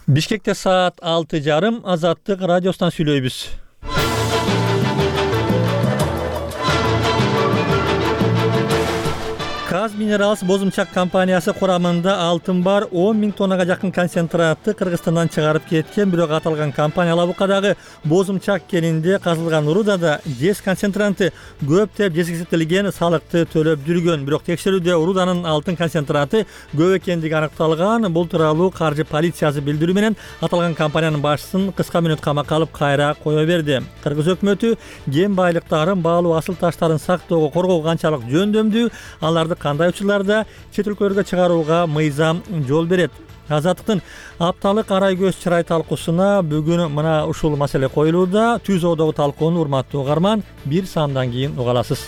Бишкекте саат 6:30 Азаттык радиосунан сүйлөйбүз. Kaz Minerals бозумчак компаниясы курамында алтын бар 10 000 тоннага жакын концентратты Кыргызстандан чыгарып кеткен, бирок аталган компания Лабукадагы бозумчак кенинде казылган рудада жез концентранты көптөп жеткизилген салыкты төлөп жүргөн. Бирок текшерүүдө руданын алтын концентраты көп экендиги аныкталган. Бул тууралуу каржы полициясы билдирүү менен аталган компаниянын башчысын кыска мүнөт камакка алып кайра кое берди. Кыргыз өкмөтү кен байлыктарын, баалуу асыл таштарын сактоого, коргоого канчалык жөндөмдүү, аларды кандай учурларда чет өлкөлөргө чыгарууга мыйзам жол берет? Азаттыктын апталык арай көз чырай талкуусуна бүгүн мына ушул маселе коюлууда. Түз оодогу талкууну урматтуу угарман, бир саамдан кийин уга аласыз.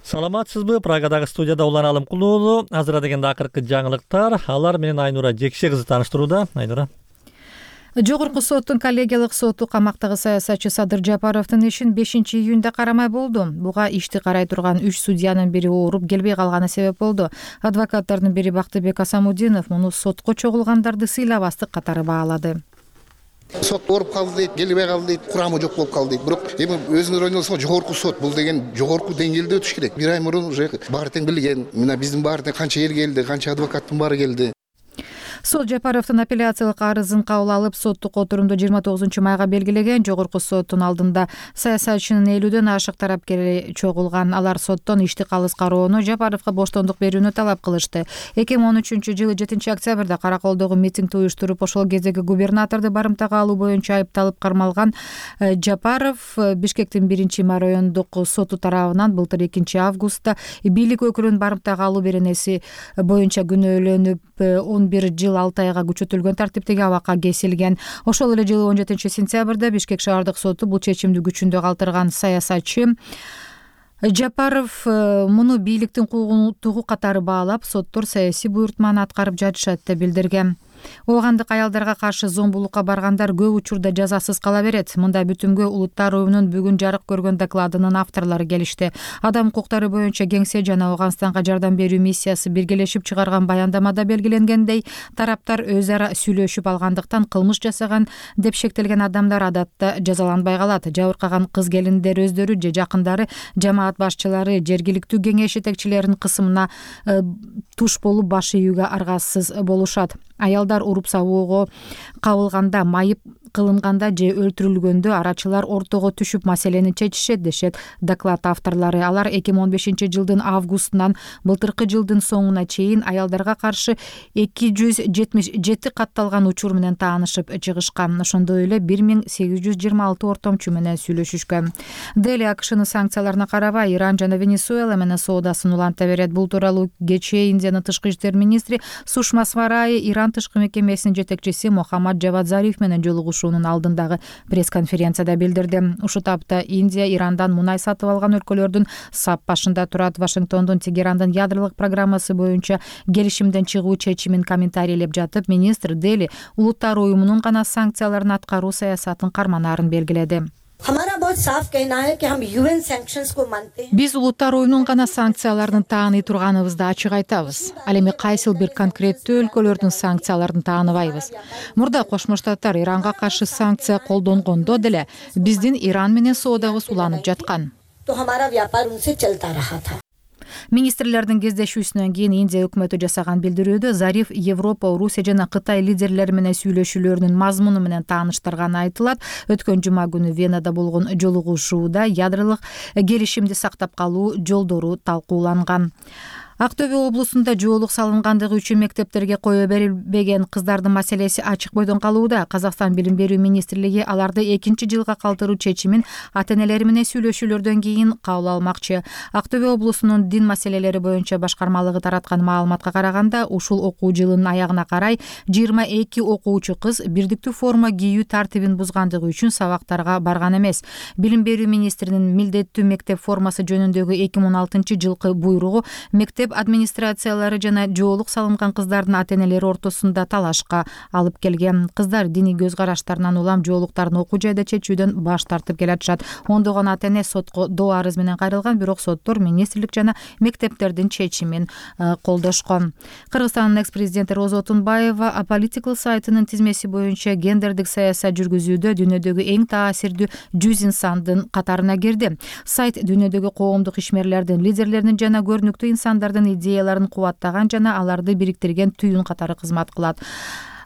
Саламатсызбы? Прагадагы студияда Улан Алымкулуу уулу. Азыр дегенде акыркы жаңылыктар. Алар менен Айнура Жекше кызы тааныштырууда. Айнура. Жогорку соттун коллегиялык соту камактагы саясатчы Садыр Жапаровдун ишин 5-июнда карамай болду. Буга ишти карай турган 3 судьянын бири ооруп келбей калганы себеп болду. Адвокаттардын бири Бактыбек Асамудинов муну сотко чогулгандарды сыйлабастык катары баалады. Сот ооруп калды дейт, келбей калды дейт, курамы жок болуп калды дейт. Бирок эми өзүңөр ойносоңор, жогорку сот бул деген жогорку деңгээлде өтүш керек. Бир ай мурун уже баары тең билген. Мына биздин баары тең канча эл келди, канча адвокаттын баары келди. Сот Жапаровдун апелляциялык арызын кабыл алып, соттук отурумду 29-майга белгилеген. Жогорку соттун алдында саясатчынын 50дөн ашык тарапкери чогулган. Алар соттон ишти калыс кароону, Жапаровго боштондук берүүнү талап кылышты. 2013-жылы 7-октябрда Караколдогу митингди уюштуруп, ошол кездеги губернаторду барымтага алуу боюнча айыпталып кармалган Жапаров Бишкектин 1-май райондук соту тарабынан былтыр 2-августта бийлик өкүлүнүн барымтага алуу беренеси боюнча күнөөлөнүп 11 жыл 6 айга күчөтүлгөн тартиптеги абакка кесилген. Ошол эле жылы 17-сентябрда Бишкек шаардык соту бул чечимди күчүндө калтырган. Саясатчы Жапаров муну бийликтин куугунтугу катары баалап, соттор саясий буйртманы аткарып жатышат деп билдирген. Оогандык аялдарга каршы зомбулукка баргандар көп учурда жазасыз кала берет. Мындай бүтүмгө Улуттар уюмунун бүгүн жарык көргөн докладынын авторлору келишти. Адам укуктары боюнча Кеңсе жана Ооганстанга жардам берүү миссиясы биргелешип чыгарган баяндамада белгиленгендей, тараптар өз ара сүйлөшүп алгандыктан кылмыш жасаган деп шектелген адамдар адатта жазаланбай калат. Жабыркаган кыз келиндер өздөрү же жакындары, жамаат башчылары, жергиликтүү кеңеш жетекчилеринин кысымына туш болуп баш ийүүгө аргасыз болушат. Аялдар уруп сабоого кабылганда, майып кылынганда же өлтүрүлгөндө арачылар ортого түшүп маселени чечишет дешет доклад авторлору. Алар 2015-жылдын августунан былтыркы жылдын соңуна чейин аялдарга каршы 277 катталган учур менен таанышып чыгышкан. Ошондой эле 1826 ортомчу менен сүйлөшүшкөн. Дели АКШнын санкцияларына карабай Иран жана Венесуэла менен соодасын уланта берет. Бул тууралуу кечээ Индиянын тышкы иштер министри Сушма Сварай Иран тышкы мекемесинин жетекчиси Мохаммад Джавад Зариф менен жолугушуунун алдындагы пресс-конференцияда билдирди. Ушул тапта Индия Ирандан мунай сатып алган өлкөлөрдүн сап башында турат. Вашингтондун Тегерандын ядролук программасы боюнча келишимден чыгуу чечимин комментарийлеп жатып, министр Дели Улуттар уюмунун гана санкцияларын аткаруу саясатын карманаарын белгиледи. Биз Улуттар уюмунун гана санкцияларын тааный турганыбызды ачык айтабыз. Ал эми кайсыл бир конкреттүү өлкөлөрдүн санкцияларын тааныбайбыз. Мурда Кошмо Штаттар Иранга каршы санкция колдонгондо деле биздин Иран менен соодабыз уланып жаткан. Министрлердин кездешүүсүнөн кийин Индия өкмөтү жасаган билдирүүдө Зариф Европа, Орусия жана Кытай лидерлери менен сүйлөшүүлөрүнүн мазмуну менен тааныштырганы айтылат. Өткөн жума күнү Венада болгон жолугушууда ядролук келишимди сактап калуу жолдору талкууланган. Актөбе облусунда жоолук салынгандыгы үчүн мектептерге кое берилбеген кыздардын маселеси ачык бойдон калууда. Казакстан Билим берүү министрлиги аларды 2-жылга калтыруу чечимин ата-энелери менен сүйлөшүүлөрдөн кийин кабыл алмакчы. Актөбе облусунун дин маселелери боюнча башкармалыгы тараткан маалыматка караганда, ушул окуу жылынын аягына карай 22 окуучу кыз бирдиктүү форма кийүү тартибин бузгандыгы үчүн сабактарга барган эмес. Билим берүү министринин милдеттүү мектеп формасы жөнүндөгү 2016-жылкы буйругу мектеп мектеп администрациялары жана жоолук салынган кыздардын ата-энелери ортосунда талашка алып келген. Кыздар диний көз караштарынан улам жоолуктарын окуу жайда чечүүдөн баш тартып келатышат. Ондогон ата-эне сотко доо арыз менен кайрылган, бирок соттор министрлик жана мектептердин чечимин колдошкон. Кыргызстандын экс-президенти Роза Отунбаева Apolitical сайтынын тизмеси боюнча гендердик саясат жүргүзүүдө дүйнөдөгү эң таасирдүү 100 инсандын катарына кирди. Сайт дүйнөдөгү коомдук ишмерлердин, лидерлердин жана көрүнүктүү инсандардын идеяларын кубаттаган жана аларды бириктирген түйүн катары кызмат кылат.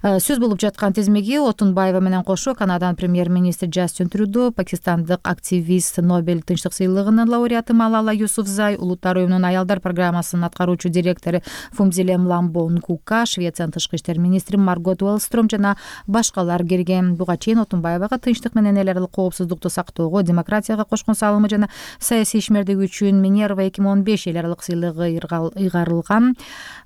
Сөз болуп жаткан тизмеге Отунбаева менен кошо Канаданын премьер-министри Джастин Трюдо, пакистандык активист, Нобель тынчтык сыйлыгынын лауреаты Малала Юсуфзай, Улуттар уюмунун аялдар программасынын аткаруучу директору Фумзиле Мламбо Нкука, Швециянын тышкы иштер министри Маргот Уэллстром жана башкалар кирген. Буга чейин Отунбаевага тынчтык менен эл аралык коопсуздукту сактоого, демократияга кошкон салымы жана саясий ишмердиги үчүн Минерва 2015 эл аралык сыйлыгы ыйгарылган.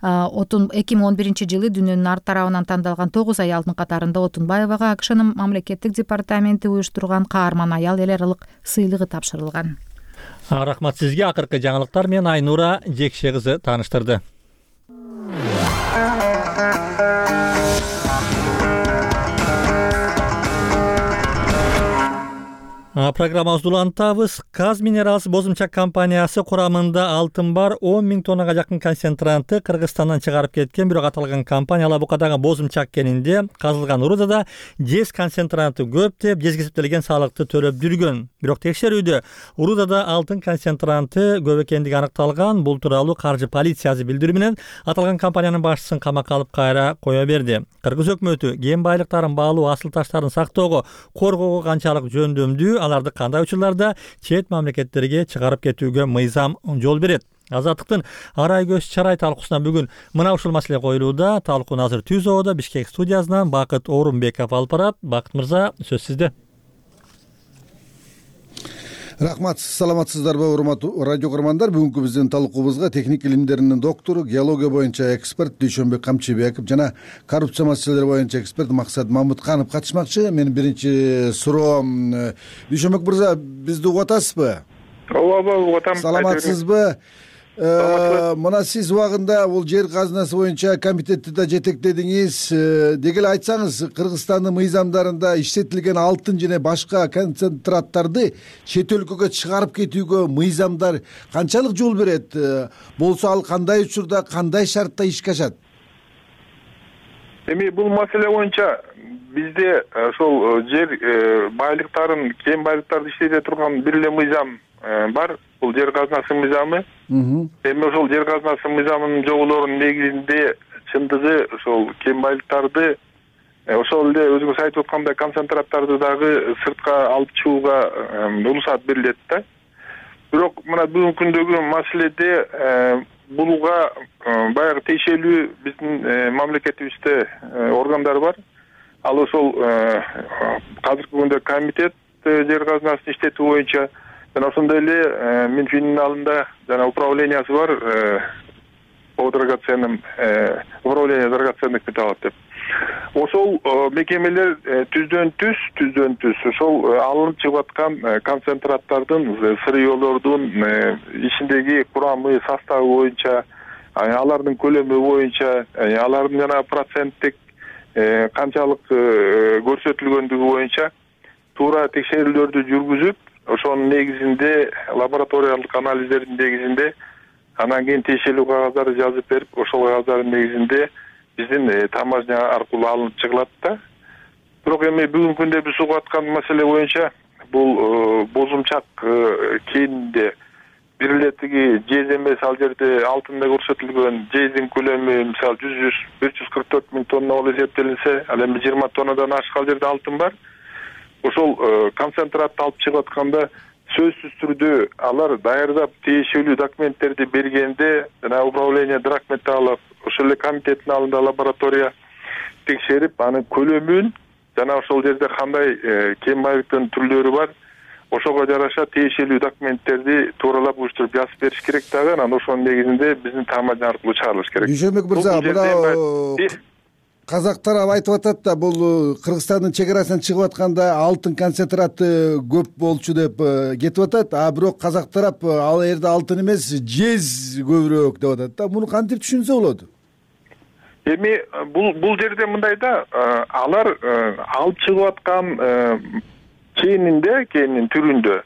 2011-жылы дүйнөнүн ар тарабынан тандалган 9 аялдын катарында Отунбаевага АКШнын мамлекеттик департаменти уюштурган каарман аял эл аралык сыйлыгы тапшырылган. Рахмат сизге. Акыркы жаңылыктар менен Айнура Жекше кызы тааныштырды. Программабызды улантабыз. Каз Минералс бозумчак компаниясы курамында алтын бар 10 000 тоннага жакын концентранты Кыргызстандан чыгарып кеткен, бирок аталган компания Алабукадагы бозумчак кенинде казылган урудада жез концентранты көп деп жез кесиптелген салыкты төлөп жүргөн. Бирок текшерүүдө урудада алтын концентранты көп экендиги аныкталган. Бул тууралуу каржы полициясы билдирүү менен аталган компаниянын башчысын камакка алып кайра кое берди. Кыргыз өкмөтү кен байлыктарын баалуу, асыл таштарын сактоого, коргоого канчалык жөндөмдүү, аларды кандай учурларда чет мамлекеттерге чыгарып кетүүгө мыйзам жол берет? Азаттыктын арай көз чарай талкуусуна бүгүн мына ушул маселе коюлууда. Талкууну азыр Түзөөдө Бишкек студиясынан Бакыт Орунбеков алып барат. Бакыт мырза, сөз сизде. Рахмат, саламатсыздарбы урматтуу радио көрөрмандар. Бүгүнкү биздин талкуубузга техник илимдеринин доктору, геология боюнча эксперт Дүйшөнбек Камчыбеков жана коррупция маселелери боюнча эксперт Максат Мамытканов катышмакчы. Менин биринчи суроом, Дүйшөнбек мырза, бизди угуп атасызбы? Ооба, угуп атам. Саламатсызбы? Мына сиз убагында бул жер казынасы боюнча комитетти да жетектедиңиз. Деги эле айтсаңыз, Кыргызстандын мыйзамдарында иштетилген алтын жана башка концентраттарды чет өлкөгө чыгарып кетүүгө мыйзамдар канчалык жол берет? Болсо ал кандай учурда, кандай шартта ишке ашат? Эми бул маселе боюнча бизде ошол жер байлыктарын, кен байлыктарды иштете турган бир эле мыйзам бар. Бул жер казынасы мыйзамы. Эми ошол жер казынасы мыйзамынын жоболорунун негизинде чындыгы ошол кен байлыктарды ошол эле өзүңүз айтып аткандай концентраттарды дагы сыртка алып чыгууга уруксат берилет да. Бирок мына бүгүнкү күндөгү маселеде буга баягы тиешелүү биздин мамлекетибизде органдар бар. Ал ошол азыркы күндө комитет жер казынасын иштетүү боюнча жана ошондой эле Минфиндин алдында жана управлениясы бар, управление драгоценных металлов деп. Ошол мекемелер түздөн түз ошол алынып чыгып аткан концентраттардын, сырьёлордун ичиндеги курамы, составы боюнча, алардын көлөмү боюнча, алардын жана проценттик канчалык көрсөтүлгөндүгү боюнча туура текшерүүлөрдү жүргүзүп, ошонун негизинде лабораториялык анализдердин негизинде анан кийин тиешелүү кагаздарды жазып берип, ошол кагаздардын негизинде биздин таможня аркылуу алынып чыгылат да. Бирок эми бүгүнкү күндө биз угуп аткан маселе боюнча бул бозумчак кенинде бир эле тиги жез эмес, ал жерде алтында көрсөтүлгөн жездин көлөмү мисалы 144 000 тонна болуп эсептелинсе, ал эми 20 тоннадан ашкан жерде алтын бар. Ошол концентратты алып чыгып атканда сөзсүз түрдө алар даярдап тиешелүү документтерди бергенде жана управление драгметаллов ошол эле комитеттин алдында лаборатория текшерип, анын көлөмүн жана ошол жерде кандай кен байлыктын түрлөрү бар, ошого жараша тиешелүү документтерди тууралап уюштуруп жазып бериш керек дагы. Анан ошонун негизинде биздин таможня аркылуу чыгарылыш керек. Дүйшөнбек мырза, мына казак тарап айтып атат да, бул Кыргызстандын чек арасынан чыгып атканда алтын концентраты көп болчу деп кетип атат, а бирок казак тарап ал жерде алтын эмес, жез көбүрөөк деп атат да. Муну кантип түшүнсө болот? Эми бул жерде мындай да, алар алып чыгып аткан кенин түрүндө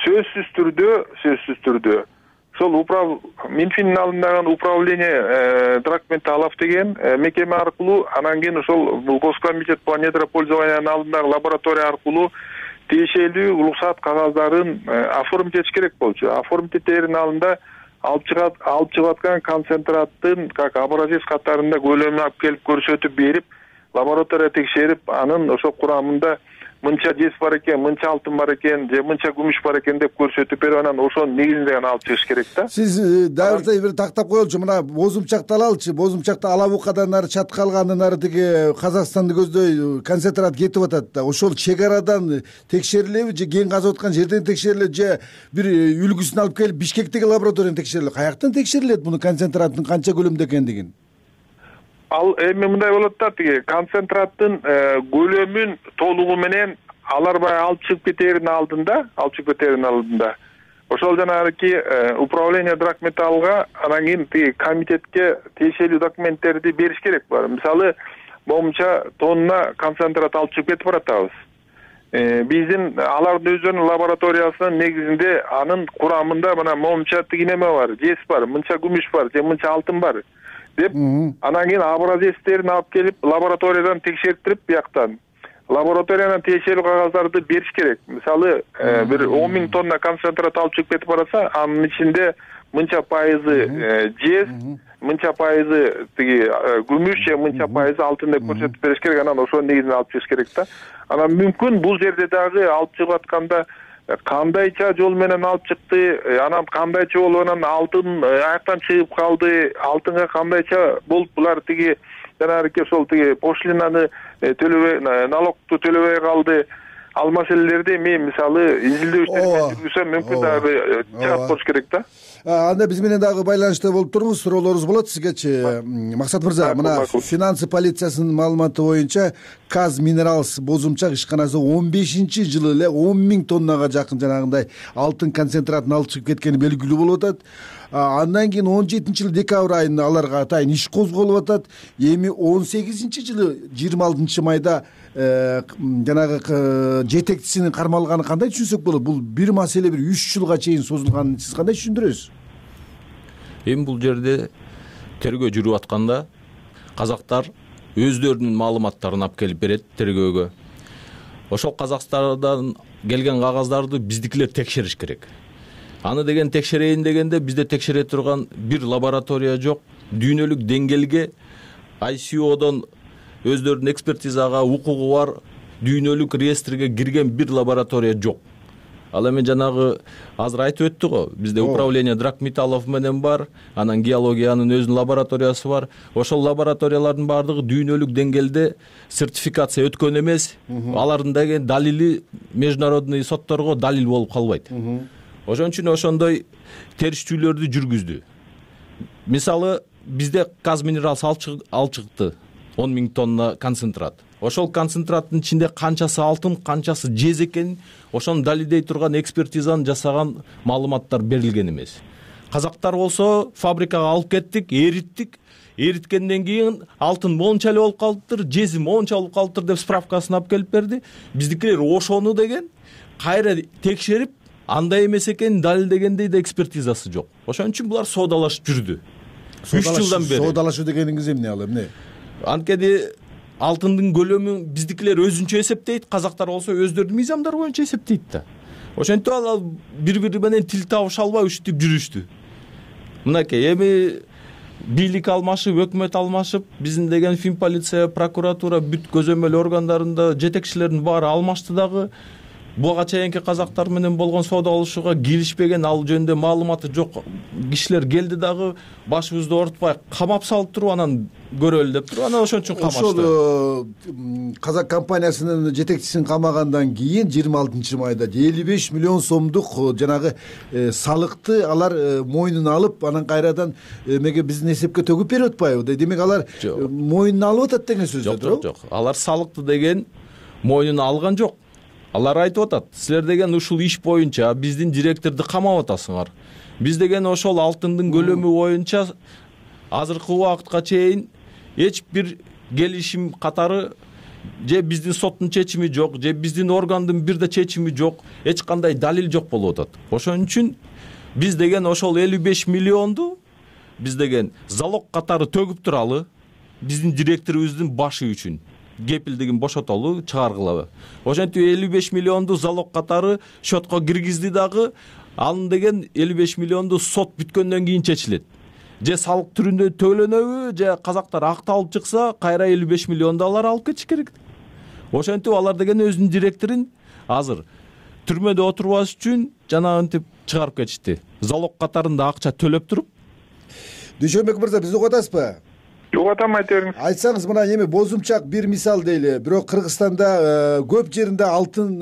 сөзсүз түрдө ошол Минфиндин алдындагы управление драгметаллов деген мекеме аркылуу, анан кийин ошол Госкомитет по недропользованиянын алдындагы лаборатория аркылуу тиешелүү уруксат кагаздарын оформить этиш керек болчу. Оформить этердин алдында алып чыгып аткан концентраттын как образец катарында көлөмүн алып келип көрсөтүп берип, лаборатория текшерип, анын ошол курамында мынча жез бар экен, мынча алтын бар экен, же мынча күмүш бар экен деп көрсөтүп берип, анан ошонун негизинде гана алып чыгыш керек да. Сиз дагы бир тактап коелучу, мына Бозумчакты алалычы. Бозумчакта Алабукадан нары, Чаткалгандан нары тиги Казакстанды көздөй концентрат кетип атат да. Ошол чек арадан текшерилеби же кен казып аткан жерден текшерилеби же бир үлгүсүн алып келип Бишкектеги лабораториядан текшерилеби? Каяктан текшерилет муну концентраттын канча көлөмдө экендигин? Ал эми мындай болот да, тиги концентраттын көлөмүн толугу менен алар баягы алып чыгып кетердин алдында ошол жанагы управление драгметаллга, анан кийин тиги комитетке тиешелүү документтерди бериш керек бар. Мисалы, момунча тонна концентрат алып чыгып кетип баратабыз. Биздин алардын өздөрүнүн лабораториясынын негизинде анын курамында мына момунча тиги неме бар, жез бар, мынча күмүш бар, же мынча алтын бар деп, анан кийин образецтерин алып келип лабораториядан текшертирип, бияктан лабораториядан тиешелүү кагаздарды бериш керек. Мисалы, бир 10 000 тонна концентрат алып чыгып кетип барса, анын ичинде мынча пайызы жез, мынча пайызы тиги күмүш же мынча пайызы алтын деп көрсөтүп бериш керек. Анан ошонун негизинде алып чыгыш керек да. Анан мүмкүн бул жерде дагы алып чыгып атканда кандайча жол менен алып чыкты, анан кандайча болуп анан алтын аяктан чыгып калды, алтынга кандайча болуп булар тиги жанагы ошол тиги пошлинаны төлөбөй, налогту төлөбөй калды. Ал маселелерди мен мисалы изилдөө иштерин жүргүзсөм мүмкүн дагы чыгат болуш керек да. Анда биз менен дагы байланышта болуп туруңуз, суроолорубуз болот сизгечи. Максат мырза, мына финансы полициясынын маалыматы боюнча Каз Минералс Бозумчак ишканасы 15-жылы эле 10 000 тоннага жакын жанагындай алтын концентратын алып чыгып кеткени белгилүү болуп атат. Андан кийин 17-жылы декабрь айында аларга атайын иш козголуп атат. Эми 18-жылы 26 майда жанагы жетекчисинин кармалганы кандай түшүнсөк болот? Бул бир маселе бир 3 жылга чейин созулганын сиз кандай түшүндүрөсүз? Эми бул жерде тергөө жүрүп атканда казактар өздөрүнүн маалыматтарын алып келип берет тергөөгө. Ошол Казакстандан келген кагаздарды биздикилер текшериш керек. Аны деген текшерейин дегенде бизде текшере турган бир лаборатория жок. Дүйнөлүк деңгээлге ICOдон өздөрүнүн экспертизага укугу бар дүйнөлүк реестрге кирген бир лаборатория жок. Ал эми жанагы азыр айтып өттү го, бизде управление драгметаллов менен бар, анан геологиянын өзүнүн лабораториясы бар. Ошол лабораториялардын баардыгы дүйнөлүк деңгээлде сертификация өткөн эмес. Алардын дагы далили международный сотторго далил болуп калбайт. Ошон үчүн ошондой териштүүлөрдү жүргүздү. Мисалы, бизде Каз Минералс алып чыкты 10 000 тонна концентрат. Ошол концентраттын ичинде канчасы алтын, канчасы жез экенин ошону далилдей турган экспертизаны жасаган маалыматтар берилген эмес. Казактар болсо фабрикага алып кеттик, эриттик. Эриткенден кийин алтын монча эле болуп калыптыр, жези монча болуп калыптыр деп справкасын алып келип берди. Биздикилер ошону деген кайра текшерип, андай эмес экенин далилдегендей да экспертизасы жок. Ошон үчүн булар соодалашып жүрдү. 3 жылдан бери. Соодалашуу дегениңиз эмне ал эмне? Анткени алтындын көлөмүн биздикилер өзүнчө эсептейт, казактар болсо өздөрүнүн мыйзамдары боюнча эсептейт да. Ошентип ал бири-бири менен тил табыша албай ушинтип жүрүштү. Мынакей, эми бийлик алмашып, өкмөт алмашып, биздин деген Фин полиция, прокуратура, бүт көзөмөл органдарында жетекчилердин баары алмашты дагы. буга чейинки казактар менен болгон соодалашууга киришпеген, ал жөнүндө маалыматы жок кишилер келди дагы башыбызды оорутпай камап салып туруп анан көрөлү деп туруп анан ошон үчүн камашты. Ошол казак компаниясынын жетекчисин камагандан кийин 26 майда 55 миллион сомдук жанагы салыкты алар мойнуна алып, анан кайрадан эмеге биздин эсепке төгүп берип атпайбы? Демек алар мойнуна алып атат деген сөз да, туурабы? Жок. Алар салыкты деген мойнуна алган жок. Алар айтып атат, силер деген ушул иш боюнча биздин директорду камап атасыңар. Биз деген ошол алтындын көлөмү боюнча азыркы убакытка чейин эч бир келишим катары же биздин соттун чечими жок, же биздин органдын бир да чечими жок, эч кандай далил жок болуп атат. Ошон үчүн биз деген ошол 55 миллионду биз деген залог катары төгүп туралы биздин директорубуздун башы үчүн кепилдигин бошотолу, чыгаргылабы. Ошентип 55 миллионду залог катары счетко киргизди дагы, анын деген 55 миллионду сот бүткөндөн кийин чечилет. Же салык түрүндө төлөнөбү, же казактар акталып чыкса, кайра 55 миллионду алар алып кетиш керек. Ошентип алар деген өзүнүн директорун азыр түрмөдө отурбаш үчүн жанагынтип чыгарып кетишти. Залог катарында акча төлөп туруп. Дүйшөнбек мырза, бизди угуп атасызбы? Угатам, айта бериңиз. Айтсаңыз, мына эми бозумчак бир мисал дейли. Бирок Кыргызстанда көп жеринде алтын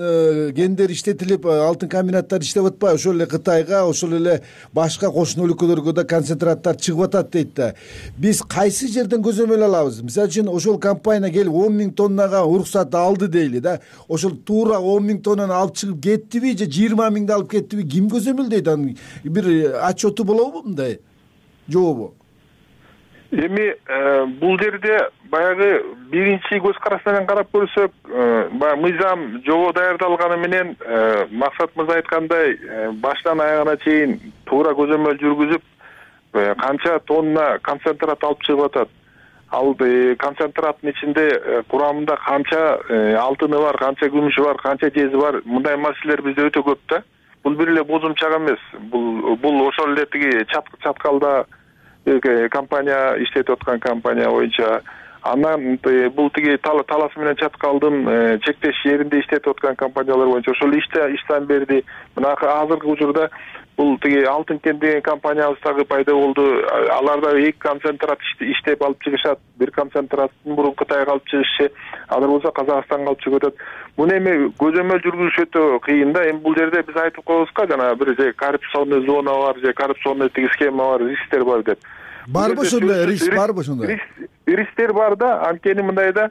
кендер иштетилип, алтын комбинаттары иштеп атпайбы? Ошол эле Кытайга, ошол эле башка кошуна өлкөлөргө да концентраттар чыгып атат дейт да. Биз кайсы жерден көзөмөл алабыз? Мисалы үчүн ошол компания келип 10 000 тоннага уруксат алды дейли да. Ошол туура 10 000 тоннаны алып чыгып кеттиби, же 20 000ды алып кеттиби? Ким көзөмөлдөйт? Анын бир отчету болобу мындай? Жообу? Эми бул жерде баягы биринчи көз караш менен карап көрсөк, баягы мыйзам жобо даярдалганы менен Максат мырза айткандай баштан аягына чейин туура көзөмөл жүргүзүп, канча тонна концентрат алып чыгып атат, ал концентраттын ичинде курамында канча алтыны бар, канча күмүшү бар, канча жези бар, мындай маселелер бизде өтө көп да. Бул бир эле бозумчак эмес. Бул ошол эле тиги чаткалда компания иштетип аткан компания боюнча, анан бул тиги Талас менен Чаткалдын чектеш жеринде иштетип аткан компаниялар боюнча ошол иштен берди. Мына азыркы учурда бул тиги алтын кен деген компаниябыз дагы пайда болду. Аларда 2 концентрат иштеп алып чыгышат. Бир концентраттын мурун Кытайга алып чыгышы, алар болсо Казакстанга алып чыгып атат. Муну эми көзөмөл жүргүзүш өтө кыйын да. Эми бул жерде биз айтып коебузга, жана бир же коррупционный зона бар, же коррупционный тиги схема бар, рисктер бар деп. Барбы ошондой риск, барбы ошондой? Рисктер бар да, анткени мындайда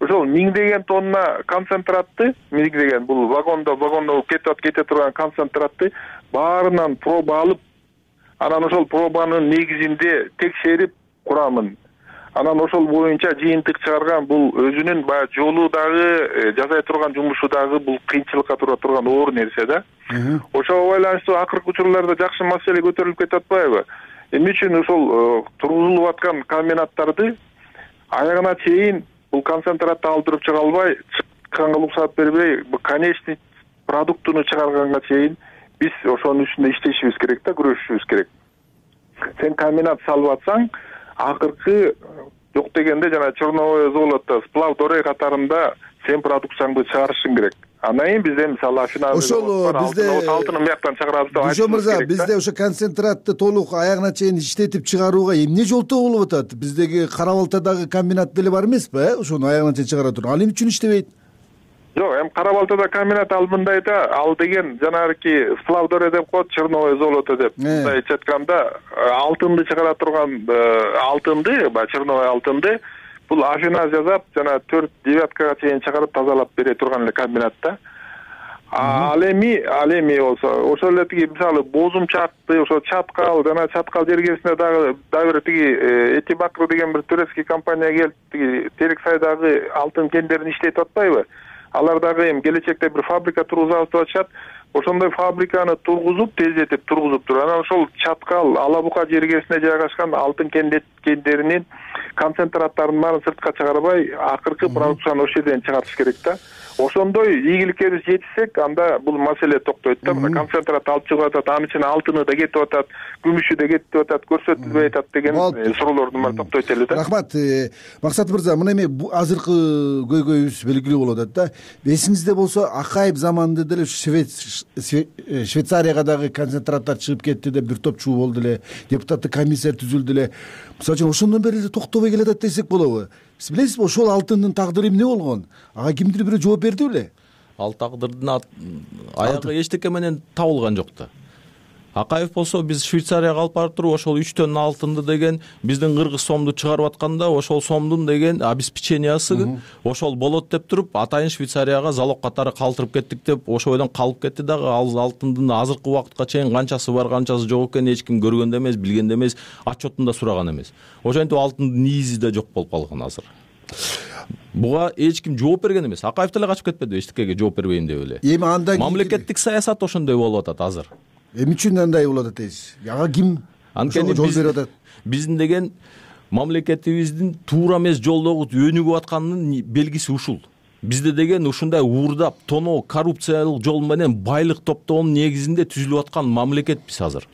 ошол 1000 тонна концентратты, 1000 бул вагондо кете турган концентратты баарынан проба алып, анан ошол пробанын негизинде текшерип курамын. Анан ошол боюнча жыйынтык чыгарган. Бул өзүнүн баягы жолу дагы, жасай турган жумушу дагы бул кыйынчылыкка тура турган оор нерсе да. Ошого байланыштуу акыркы учурларда жакшы маселе көтөрүлүп кетип атпайбы? Эмне үчүн ошол тургузулуп аткан комбинаттарды аягына чейин бул концентратты алдырып чыга албай, чыкканга уруксат бербей, бул конечный продуктуну чыгарганга чейин биз ошонун үстүндө иштешибиз керек да, күрөшүшүбүз керек. Сен комбинат салып атсаң, акыркы жок дегенде жана черновое золото, сплав дорей катарында сен продукцияңды чыгарышың керек. Андан кийин бизде мисалы афиназы ошол бизде алтынын бияктан чыгарабыз деп айтышыбыз керек. Мырза, бизде ошо концентратты толук аягына чейин иштетип чыгарууга эмне жолтоо болуп атат? Биздеги Кара Балтадагы комбинат деле бар эмеспи, ошону аягына чейин чыгара турган? Ал эмне үчүн иштебейт? Жок, эми Кара Балтада комбинат ал мындай да, ал деген жанагы сплав дорей деп коет, черновое золото деп. Мындай айтканда, алтынды чыгара турган алтынды, баягы черновое алтынды бул афиназ жасап, жана 4 девяткага чейин чыгарып тазалап бере турган эле комбинат да. Ал эми болсо, ошол эле тиги мисалы бозумчакты, ошо Чаткал, жана Чаткал жергесинде дагы бир тиги Этибакру деген бир турецкий компания келип, тиги Терексайдагы алтын кендерин иштетип атпайбы? Алар дагы эми келечекте бир фабрика тургузабыз деп атышат. Ошондой фабриканы тургузуп, тездетип тургузуп туруп, анан ошол Чаткал, Алабука жергесине жайгашкан алтын кендеринин концентраттарын баарын сыртка чыгарбай, акыркы продукцияны ошол жерден чыгарыш керек да. ошондой ийгиликке биз жетишсек, анда бул маселе токтойт да. Мына концентрат алып чыгып атат, анын ичине алтыны да кетип атат, күмүшү да кетип атат, көрсөтүлбөй атат деген суроолордун баары токтойт эле да. Рахмат. Максат мырза, мына эми азыркы көйгөйүбүз белгилүү болуп атат да. Эсиңизде болсо, Акаев заманында деле Швейцарияга дагы концентраттар чыгып кетти деп бир топ чуу болду эле, депутаттык комиссия түзүлдү эле. Мисалы үчүн ошондон бери эле токтобой келатат десек болобу? Сиз билесизби, ошол алтындын тагдыры эмне болгон? Ага кимдир бирөө жооп берди беле? Ал тагдырдын аягы эчтеке менен табылган жок да. Акаев болсо, биз Швейцарияга алып барып туруп, ошол 3 тонна алтынды деген биздин кыргыз сомду чыгарып атканда, ошол сомдун деген обеспечениясы ошол болот деп туруп, атайын Швейцарияга залог катары калтырып кеттик деп, ошол бойдон калып кетти дагы. Ал алтындын азыркы убакытка чейин канчасы бар, канчасы жок экенин эч ким көргөн да эмес, билген да эмес, отчетун да сураган эмес. Ошентип алтындын низи да жок болуп калган азыр. Буга эч ким жооп берген эмес. Акаев деле качып кетпеди эчтекеге жооп бербейм деп эле. Эми анда мамлекеттик саясат ошондой болуп атат азыр. Эмне үчүн андай болуп атат дейсиз? Ага ким ошого жол берип атат? Биздин деген мамлекетибиздин туура эмес жолдогу өнүгүп атканынын белгиси ушул. Бизде деген ушундай уурдап, тоноо, коррупциялык жол менен байлык топтоонун негизинде түзүлүп аткан мамлекетпиз азыр.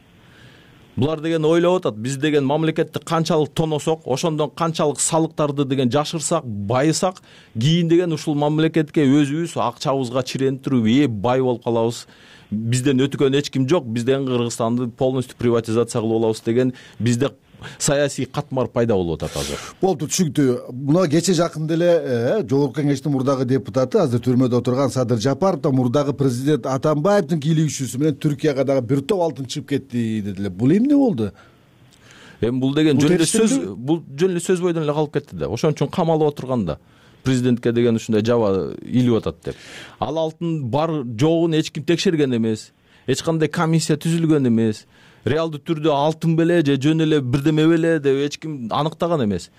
Булар деген ойлоп атат, биз деген мамлекетти канчалык тоносок, ошондон канчалык салыктарды деген жашырсак, байысак, кийин деген ушул мамлекетке өзүбүз акчабызга чиренип туруп, бай болуп калабыз. Бизден өтүкөн эч ким жок, бизден Кыргызстанды полностью приватизация кылып алабыз деген бизде саясий катмар пайда болуп атат азыр. Болду, түшүнүктүү. Мына кече жакында эле Жогорку Кеңештин мурдагы депутаты, азыр түрмөдө отурган Садыр Жапаров да мурдагы президент Атамбаевдин кийлигүүчүсү менен Түркияга дагы бир топ алтын чыгып кетти дедилер. Бул эмне болду? Эми бул деген жөн эле сөз бойдон эле калып кетти да. Ошон үчүн камалып отурган да. Президентке деген ушундай жаба илип атат деп. Ал алтын бар жогун эч ким текшерген эмес. Эч кандай комиссия түзүлгөн эмес. Реалдуу түрдө алтын беле же жөн эле бирдеме беле деп эч ким аныктаган эмес.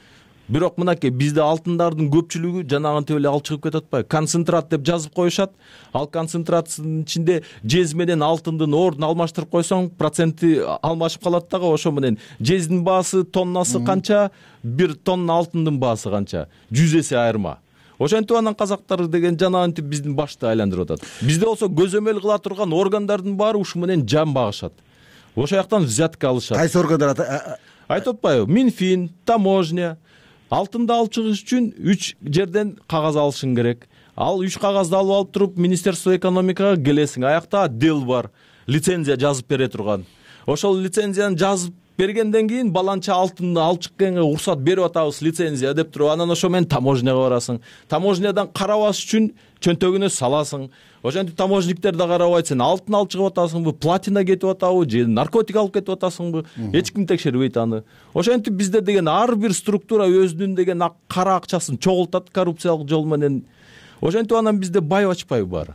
Бирок мынакей бизде алтындардын көпчүлүгү жанагынтип эле алып чыгып кетип атпайбы? Концентрат деп жазып коюшат. Ал концентраттын ичинде жез менен алтындын ордун алмаштырып койсоң, проценти алмашып калат дагы. Ошо менен жездин баасы тоннасы канча, бир тонна алтындын баасы канча? 100 эсе айырма. Ошентип анан казактар деген жанагынтип биздин башты айландырып атат. Бизде болсо көзөмөл кыла турган органдардын баары ушу менен жан багышат. Ошол жактан взятка алышат. Кайсы органдар айтып атпайбы? Минфин, таможня. Алтынды алып чыгыш үчүн 3 жерден кагаз алышың керек. Ал 3 кагазды алып туруп Министерство экономикага келесиң. Аякта отдел бар, лицензия жазып бере турган. Ошол лицензияны жазып бергенден кийин баланча алтынды алып чыкканга уруксат берип атабыз лицензия деп туруп, анан ошо менен таможняга барасың. Таможнядан карабаш үчүн чөнтөгүнө саласың. Ошентип таможниктер да карабайт, сен алтын алып чыгып атасыңбы, платина кетип атабы, же наркотик алып кетип атасыңбы, эч ким текшербейт аны. Ошентип бизде деген ар бир структура өзүнүн деген кара акчасын чогултат коррупциялык жол менен. Ошентип анан бизде байып ачпайбы баары?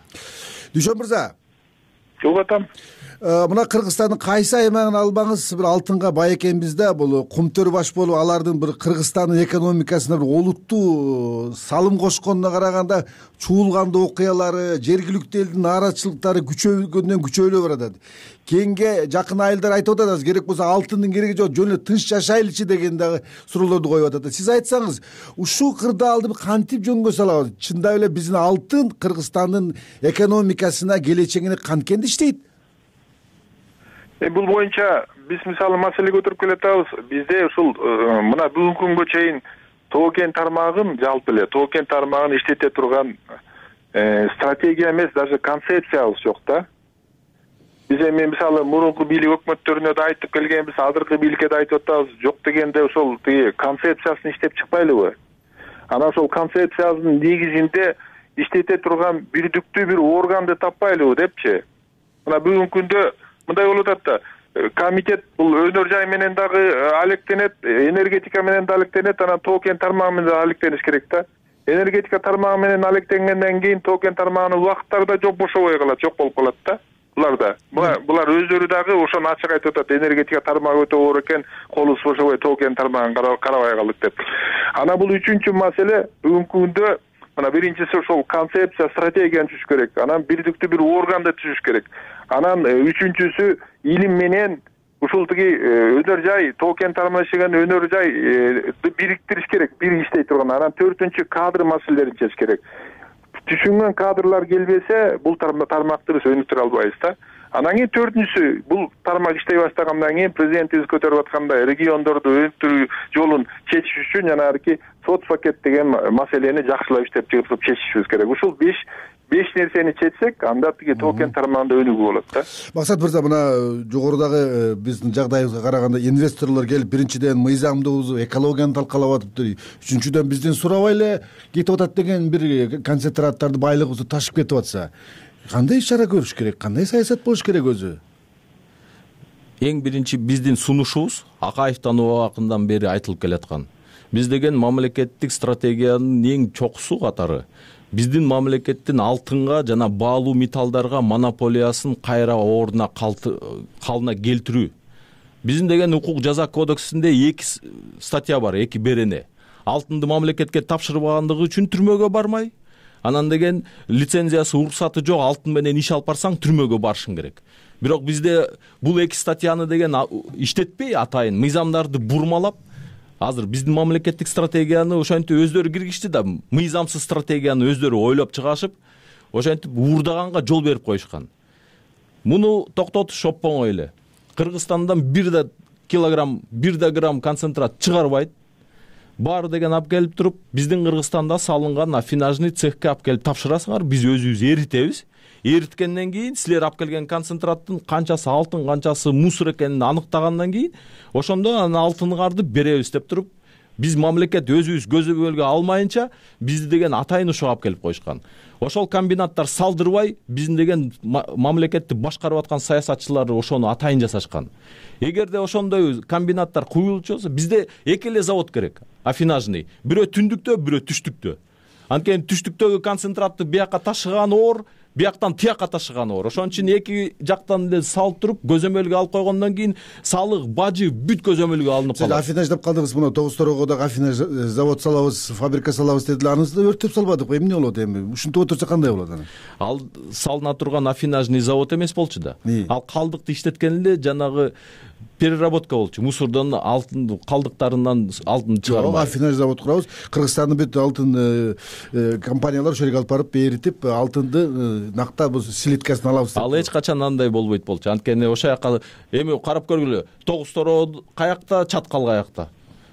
Дүйшөн мырза. Жок атам. Мына Кыргызстандын кайсы аймагын албаңыз бир алтынга бай экенбиз да, бул кумтөр баш болуп алардын бир Кыргызстандын экономикасына бир олуттуу салым кошконуна караганда чуулгандуу окуялары, жергиликтүү элдин нааразычылыктары күчөйгөндөн күчөөлөп баратат. Кийинге жакын айылдар айтып атат, керек болсо алтындын кереги жок, жөн эле тынч жашайлычы деген дагы суроолорду коюп атат. Сиз айтсаңыз, ушул кырдаалды кантип жөнгө салабыз? Чындап эле биздин алтын Кыргызстандын экономикасына, келечегине канткенде иштейт? Бул боюнча биз мисалы маселе көтөрүп келатабыз. Бизде ушул мына бүгүнкү күнгө чейин Тоо-Кен тармагын жалпы эле Тоо-Кен тармагын иштете турган стратегия эмес, даже концепциябыз жок да. Биз эми мисалы мурунку бийлик өкмөттөрүнө да айтып келгенбиз, азыркы бийликке да айтып атабыз. Жок дегенде ошол концепциясын иштеп чыкпайлыбы? Анан ошол концепциянын негизинде иштете турган бирдиктүү бир органды таппайлыбы депчи. Мына бүгүнкү күндө мындай болуп атат да, комитет бул өнөр жай менен дагы алектенет, энергетика менен да алектенет, анан Тоо-Кен тармагы менен да алектениш керек да. Энергетика тармагы менен алектенгенден кийин Тоо-Кен тармагынын убакыттары да жок бошобой калат, жок болуп калат да. Булар өздөрү дагы ошону ачык айтып атат, энергетика тармагы өтө оор экен, колубуз бошобой Тоо-Кен тармагын карабай калдык деп. Анан бул үчүнчү маселе, бүгүнкү күндө мына биринчиси ошол концепция, стратегияны түзүш керек. Анан бирдиктүү бир органды түзүш керек. Анан үчүнчүсү илим менен ушул тиги өнөр жай, Тоо-Кен тармагы иштеген өнөр жай бириктириш керек, бир иштей турган. Анан төртүнчү кадр маселелерин чечиш керек. түшүнгөн кадрлар келбесе бул тармакты биз өнүктүрө албайбыз да. Анан кийин төртүнчүсү, бул тармак иштей баштагандан кийин президентибиз көтөрүп аткандай региондорду өнүктүрүү жолун чечиш үчүн жанагы сот пакет деген маселени жакшылап иштеп чыгып чечишибиз керек. Ушул беш нерсени чечсек, анда тиги токен тармагында өнүгүү болот да. Максат мырза, мына жогорудагы биздин жагдайыбызга караганда инвесторлор келип биринчиден мыйзамдыбызды, экологияны талкалап атыптыр. Үчүнчүдөн бизден сурабай эле кетип атат деген бир концентраттарды байлыгыбызды ташып кетип атса, кандай иш чара көрүш керек, кандай саясат болуш керек өзү? Эң биринчи биздин сунушубуз Акаевдин убагынан бери айтылып келаткан. Биз деген мамлекеттик стратегиянын эң чокусу катары биздин мамлекеттин алтынга жана баалуу металлдарга монополиясын кайра ордуна калына келтирүү. Биздин деген укук жаза кодексинде 2 статья бар, 2 берене. Алтынды мамлекетке тапшырбагандыгы үчүн түрмөгө бармай, анан деген лицензиясы, уруксаты жок алтын менен иш алып барсаң түрмөгө барышың керек. Бирок бизде бул 2 статьяны деген иштетпей атайын мыйзамдарды бурмалап, азыр биздин мамлекеттик стратегияны ошентип өздөрү киргизишти да, мыйзамсыз стратегияны өздөрү ойлоп чыгашып, ошентип уурдаганга жол берип коюшкан. Муну токтотуш оп-оңой эле. Кыргызстандан 1 килограмм, 1 грамм концентрат чыгарбайт. Баары деген алып келип туруп, биздин Кыргызстанда салынган афинажный цехке алып келип тапшырасыңар, биз өзүбүз эритебиз. Эриткенден кийин силер алып келген концентраттын канчасы алтын, канчасы мусор экенин аныктагандан кийин ошондо анан алтыныңарды беребиз деп туруп, биз мамлекет өзүбүз көзөмөлгө алмайынча бизди деген атайын ушуга алып келип коюшкан. Ошол комбинаттар салдырбай, биздин деген мамлекетти башкарып аткан саясатчылар ошону атайын жасашкан. Эгерде ошондой комбинаттар куюлчу болсо, бизде 2 эле завод керек, афинажный. Бирөө түндүктө, бирөө түштүктө. Анткени түштүктөгү концентратты бияка ташыган оор, бияктан тияка ташыган оор. Ошон үчүн 2 жактан эле салып туруп, көзөмөлгө алып койгондон кийин салык, бажы бүт көзөмөлгө алынып калат. Сиз афинаж деп калдыңыз, мына Тогуз-Торогодо афинаж завод салабыз, фабрика салабыз дедилер. Анысы да өрттөп салбадык. Эмне болот эми? Ушинтип отурса кандай болот анан? Ал салына турган афинажный завод эмес болчу да. Ал калдыкты иштеткен эле жанагы переработка болчу. Мусордон алтын калдыктарынан алтын чыгармак. Афинаж завод курабыз. Кыргызстандын бүт алтын компаниялар ошол жерге алып барып эритип, алтынды накта бул слиткасын алабыз. Ал эч качан андай болбойт болчу. Анткени ошол жака эми карап көргүлө. Тогуз-Тороо каякта, Чаткал каякта.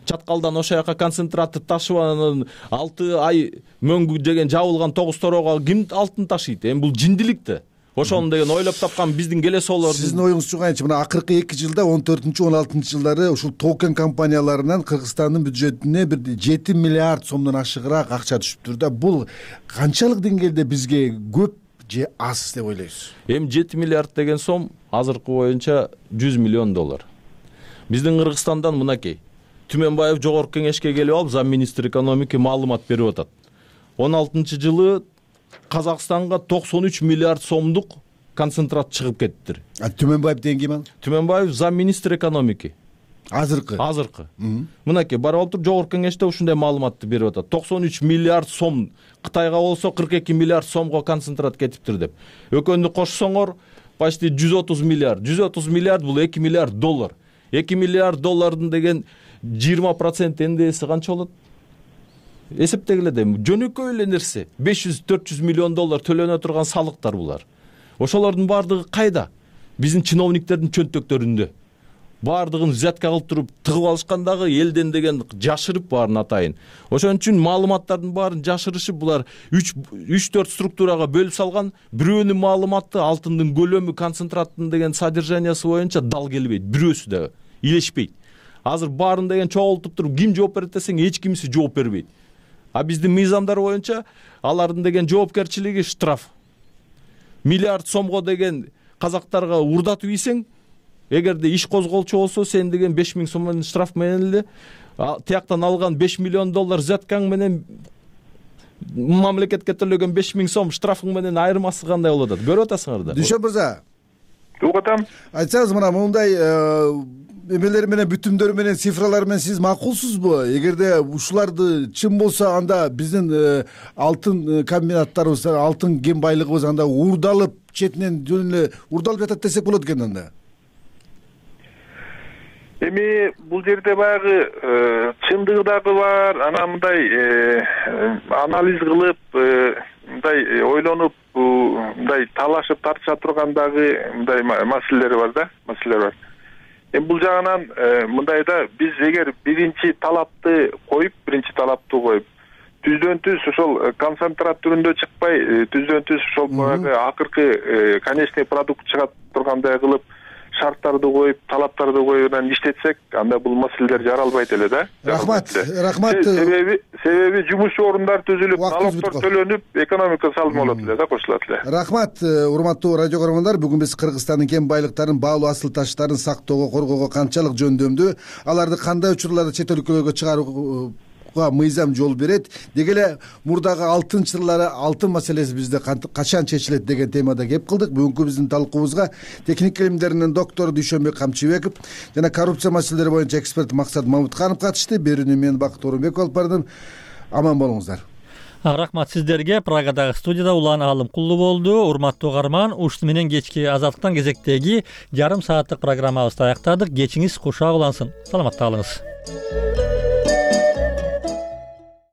Чаткалдан ошол жака концентратты ташып анан 6 ай мөңгү деген жабылган Тогуз-Тороого ким алтын ташыйт? Эми бул жиндилик да. Ошону деген ойлоп тапкан биздин келесоолордун. Сиздин оюңузчу кайчы? Мына акыркы 2 жылда 14-16 жылдары ушул токен компанияларынан Кыргызстандын бюджетине бир 7 миллиард сомдон ашыгыраак акча түшүптүр да. Бул канчалык деңгээлде бизге көп же аз деп ойлойсуз? Эми 7 миллиард деген сом азыркы боюнча $100 миллион. Биздин Кыргызстандан мынакей Түмөнбаев жогорку кеңешке келип алып, зам министр экономики маалымат берип атат. 16-жылы Казакстанга 93 миллиард сомдук концентрат чыгып кеттир. Түмөнбаев деген ким ал? Түмөнбаев зам министр экономики. Азыркы. Мынакей барып алып туруп жогорку кеңеште ушундай маалыматты берип атат. 93 миллиард сом, Кытайга болсо 42 миллиард сомго концентрат кетиптир деп. Экөөнү кошсоңор почти 130 миллиард. 130 миллиард бул $2 миллиард. 2 миллиард доллардын деген 20% НДСи канча болот? Эсептегиле да, жөнөкөй эле нерсе. $500-400 миллион төлөнө турган салыктар булар. Ошолордун баардыгы кайда? Биздин чиновниктердин чөнтөктөрүндө. Баардыгын взятка кылып туруп тыгып алышкандагы элден деген жашырып баарын атайын. Ошон үчүн маалыматтардын баарын жашырышып булар 3-4 структурага бөлүп салган. Бирөөнүн маалыматы алтындын көлөмү, концентраттын деген содержаниясы боюнча дал келбейт. Бирөөсү да илешпейт. Азыр баарын деген чогултуп туруп ким жооп берет десең эч кимиси жооп бербейт. А биздин мыйзамдар боюнча алардын деген жоопкерчилиги штраф. Миллиард сомго деген казактарга урдатып ийсең, эгерде иш козголчу болсо, сен деген 5000 сом менен штраф менен эле тияктан алган $5 миллион взяткаң менен мамлекетке төлөгөн 5000 сом штрафың менен айырмасы кандай болот? Көрүп атасыңар да. Дүйшөн мырза. Угуп атам. Айтсаңыз, мына мындай эмелер менен, бүтүмдөр менен, цифралар менен сиз макулсузбу? Эгерде ушуларды чын болсо, анда биздин алтын комбинаттарыбыз, алтын кен байлыгыбыз анда уурдалып, четинен жөн эле уурдалып жатат десек болот экен анда. Эми бул жерде баягы чындыгы дагы бар, анан мындай анализ кылып мындай ойлонуп мындай талашып тартыша тургандагы мындай маселелер бар. Эми бул жагынан мындай да биз эгер биринчи талапты коюп түздөн түз ошол концентрат түрүндө чыкпай түздөн түз ошол баягы акыркы конечный продукт чыга тургандай кылып шарттарды коюп, талаптарды коюп анан иштетсек, анда бул маселелер жаралбайт эле да. Рахмат. Себеби жумуш орундары түзүлүп, налогдор төлөнүп, экономика салым болот эле да, кошулат эле. Рахмат, урматтуу радио көрөрмандар. Бүгүн биз Кыргызстандын кен байлыктарын, баалуу асыл таштарын сактоого, коргоого канчалык жөндөмдүү, аларды кандай учурларда чет өлкөлөргө чыгарууга мыйзам жол берет, деги эле мурдагы алтын чырлары, алтын маселеси бизде качан чечилет деген темада кеп кылдык. Бүгүнкү биздин талкуубузга техник илимдеринин доктору Дүйшөнбек Камчыбеков жана коррупция маселелери боюнча эксперт Максат Мамутканов катышты. Берүүнү мен Бакыт Орунбеков алып бардым. Аман болуңуздар. Рахмат сиздерге. Прагадагы студияда Улан Алымкулуу болду. Урматтуу угарман, ушуну менен кечки Азаттыктан кезектеги жарым сааттык программабызды аяктадык. Кечиңиз кушак улансын. Саламатта калыңыз.